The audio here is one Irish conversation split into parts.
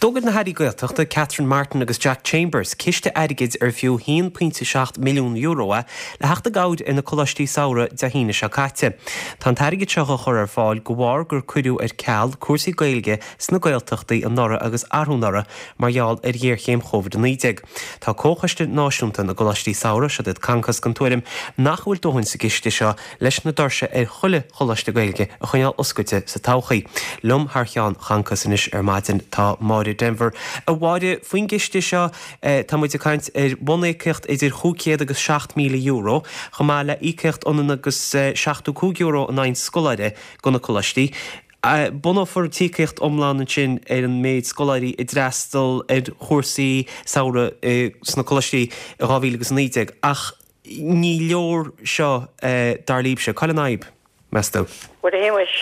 D'fhógair na hAirí Gaeltachta, Catherine Martin agus Jack Chambers, ciste airgid ar fiú €1.7 milliún é le theacht i gcabhair ar na coláistí samhraidh Dé hAoine seo caite. Tá an t-airgead seo á chur ar fáil de bharr gur cuireadh ar ceal cúrsaí Gaeilge sna Gaeltachtaí anuraidh agus arú anuraidh mar gheall ar ghéarchéim Covid-19. Tá Comhchoiste Náisiúnta na gColáistí Samhraidh, siod iad Concos, den tuairim nach bhfuil dóthain sa gciste seo leis na doirse ar chuile choláiste Gaeilge a choinneáil oscailte sa todhchaí. Liom thar cheann Choncos anois ar maidin tá Máire Denvir. A Mháire, faoin gciste seo tá muid ag caint ar bhuníocaíocht idir €500 agus €7,000, chomh maith le íocaíocht ionann agus €75 in aghaidh an scoláire do na coláistí. Bunófar an t-íocaíocht iomlán ansin ar an méid scoláirí a d'fhreastal ar chúrsaí samhraidh sna coláistí i 2019 ach Ní leor seo, dar libhse. Cá bhfuil an fhadhb, meas tú? Bhuel, a Shéamais,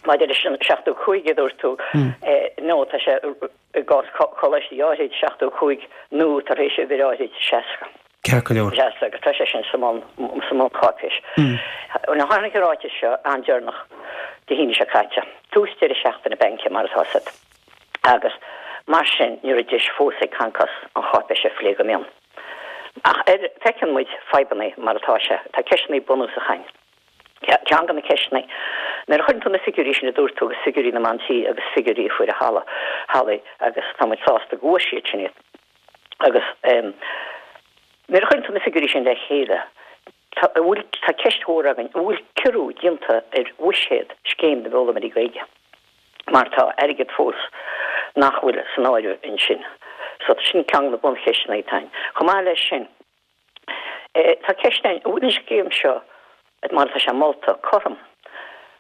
maidir leis an 75 a dúirt tú, nó tá sé i gcás coláistí áirid, 75 nó tar éis uimhir áirid, 60. Ceart go leor. 60, agus tá sé sin sa mbun-cháipéis. Nó tháinig an ráiteas seo an-deireanach Dé hAoine seo caite, tús deireadh seachtaine bainc mar atá siad, agus mar sin ní raibh deis fós ag Concos an cháipéis a phlé go mion. Ach ar, feiceann muid fadhbanna mar atá sé. Tá ceisteanna bunúsacha ann. Ceann de na ceisteanna, nuair a chuireann tú na figiúirí sin a dúirt tú agus figiúirí na mban tí agus figiúirí a fuair a halla, hallaí agus tá muid sásta go bhfuair siad sin iad. Agus nuair a chuireann tú na figiúirí sin le chéile, tá, an bhfuil, tá ceist mhór againn, an bhfuil ciorrú déanta ar bhuiséad Scéim na bhFoghlaimeoirí Gaeilge? mar tá airgead fós nach bhfuil san áireamh ansin. So sin ceann de na buncheisteanna atá ann. Chomh maith leis sin, tá ceist ann, an bhfuil an scéim seo, mar atá sé molta, cothrom?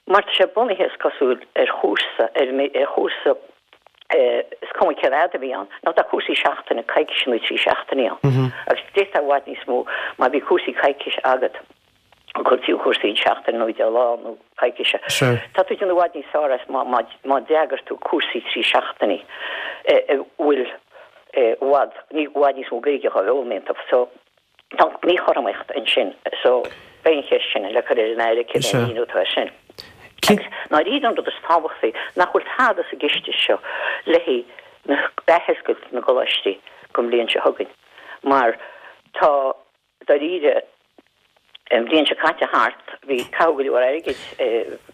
Mar tá sé bunaithe, is cosúil, ar chúrsa, ar chúrsa, is cuma cén fhad a bhí ann, nó tá cúrsaí seachtaine, coicíse nó 3 seachtainí ann. Agus d'fhéadfá i bhfad níos mó má bhí cúrsaí coicíse agat. Cúrsaí cúrsaí seachtain nó 10 lá nó coicíse. Tá tú ag déanamh i bhfad níos fearr as má má d'eagair tú cúrsaí 3 seachtainí a bhfuil i bhfad i bhfad níos mó Gaeilge á bhfoghlaim iontu. So tá míchothromaíocht ansin. So beidh an cheist sin le cur ar an Aire céard é an míniú atá air sin. Agus dáiríre an rud is tábhachtaí nach bhfuil tada sa gciste seo le haghaidh na athoscailt na gcoláistí don bhliain seo chugainn mar tá Dáiríre, an bhliain seo caite thart, bhí caitheadh go leor airgid,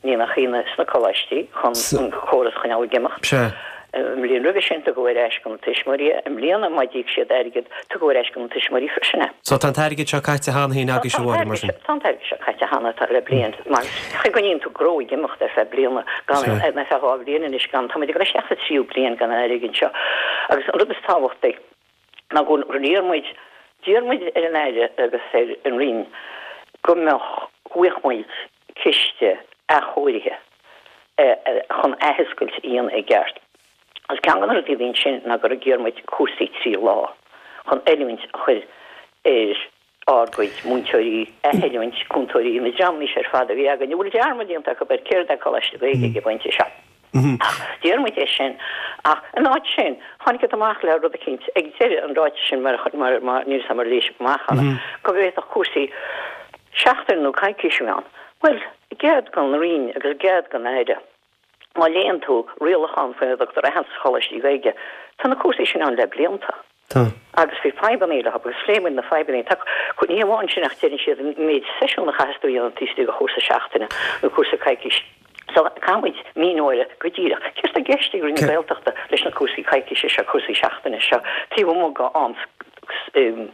ní nach ionadh, sna coláistí chun an córas a choinneáil ag imeacht. An bhliain roimhe sin, tugadh ar ais do na tuismitheoirí é. I mbliana, má d'íoc siad airgead, tugadh ar ais do na tuismitheoirí freisin é. So tá an t-airgead seo caite cheana féin agaibhse, a Mháire, mar sin? Tá an t-airgead seo caite cheana, tá, le bliain. Mar chaoi go gcoinníonn tú gnó ag imeacht ar feadh bliana, gan, ar feadh 2 bhliain anois, gan, tá muid ag dul isteach sa tríú bliain gan an airgead seo. Agus an rud is tábhachtaí, ná gur iarr muid, d'iarr muid ar an Aire agus ar an Roinn go mbeadh, go bhfaigheadh muid ciste athchóirithe chun athoscailt a dhéanamh i gceart. Agus ceann de na rudaí a bhí ansin ná gur iarr muid cúrsaí 3 lá chun oiliúint a chur ar ár gcuid múinteoirí, athoiliúint cúntóirí, na dreamanna seo ar fad a bhí againn, a bhfuil dearmad déanta acu ar céard é Coláiste Gaeilge ag an bpointe seo. Ach d'iarr muid é sin. Ach in áit sin, tháinig siad amach le rud eicínt ag deireadh an ráitis sin, mar, mar, mar, níl 'fhios a'm ar léigh sibh amach cheana, go bhféadfadh cúrsaí seachtaine nó coicíse a bheith ann. Bhuel, i gcead don Roinn agus i gcead don Aire, má léann tú rialachán faoina dtugtar aitheantas Choláistí Gaeilge, tá na cúrsaí sin ann le blianta. Tá. Agus bhí fadhbanna leo agus phléigh muid na fadhbanna. Tá, ní hamháin sin ach deireann siad an méid seisiún a chaithfeas tú a dhéanamh taobh istigh de chúrsa seachtaine nó cúrsa coicíse. So caithfidh muid míniú a fháil go díreach céard atá i gceist ag Roinn na Gaeltachta leis na cúrsaí coicíse seo, cúrsaí seachtaine seo taobh amuigh de am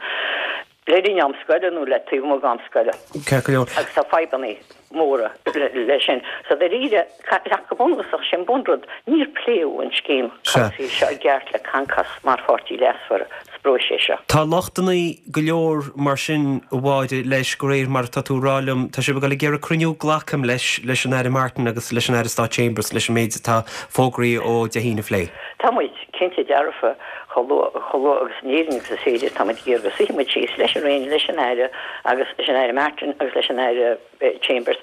le linn am scoile nó le taobh amuigh d'am scoile. Ceart go leor. Agus tá fadhbanna móra leis sin. So dáiríre, ach go bunúsach, sé an bunrud, níor pléadh an scéim cúrsaí seo i gceart le Concos mar pháirtí leasmhar sa bpróiseas seo. Tá lochtanna go leor mar sin, a Mháire, leis, de réir mar atá tú a rá liom. Tá sibh ag dul ag iarraidh cruinniú, glacaim leis, leis an Aire Martin agus leis an Aire Stáit Chambers leis an méid atá fógraithe ó Dé hAoine a phlé. Tá muid cinnte dearfa, chomh luath, chomh luath agus in Éirinn agus is féidir, tá muid ag iarraidh go suífidh muid síos leis an Roinn, leis an Aire agus leis an Aire Martin agus leis an Aire Chambers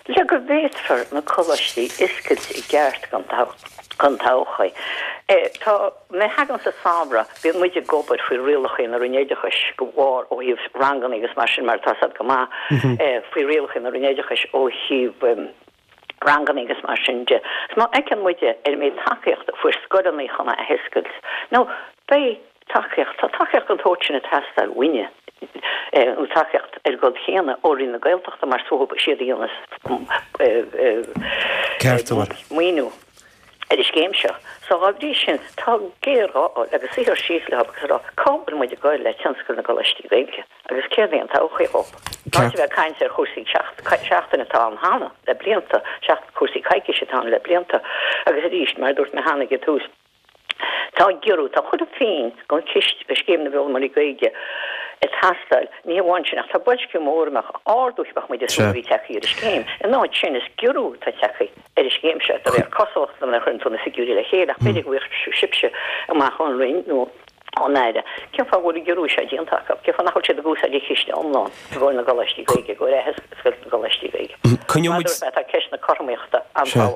le go bhféadfar na coláistí a oscailt i gceart don todhchaí. Tá, nuair a thagann sa samhradh, bíonn muid ag obair faoi rialacha na Roinne Oideachais go mhór ó thaobh ranganna agus mar sin mar atá a fhios agat go maith, faoi rialacha na Roinne Oideachais ó thaobh. Ranganna agus mar sin de. Is má fheiceann muide ar an méid tacaíochta a fuair scoileanna chun a athoscailt, nó beidh tacaíocht, tá tacaíocht den tsórt sin ag teastáil uainne, nó tacaíocht ar an gcuma chéanna ó Roinn na Gaeltachta mar is uathu siad a dhéanas maoiniú ar an scéim seo. So dhá bhrí sin, tá géarghá agus suí síos leo agus a rá cá bhfuil muid ag goil le tionscal na gcoláistí Gaeilge? Agus céard é an todhchaí dhóibh? In áit a bheith ag caint ar chúrsaí seachtaine atá ann cheana le blianta, cúrsaí coicíse atá ann le blianta, agus arís, mar a dúirt mé cheana ag an tús, tá giorrú, tá chuile phingin den chiste do Scéim na bhFoghlaimeoirí Gaeilge ag teastáil. Ní hamháin sin, ach tá boilsciú mór, dá mbeadh ardú bheadh muid ag súil a bhí tagtha ar an scéim. In áit sin, is giorrú atá tagtha ar an scéim seo, de réir cosúlachta nuair a chuireann tú na figiúirí le chéile, ach b'fhéidir go bhfaighidh sibhse amach ón Roinn nó ón Aire, cén fáth a bhfuil an giorrú seo déanta acu? Cén fáth nach bhfuil siad ag úsáid an chiste iomlán i gcomhair na gcoláistí Gaeilge, i gcomhair athoscailt na gcoláistí Gaeilge? Coinneoidh muid. Tá ceist na cothromaíochta an-tábhachtach.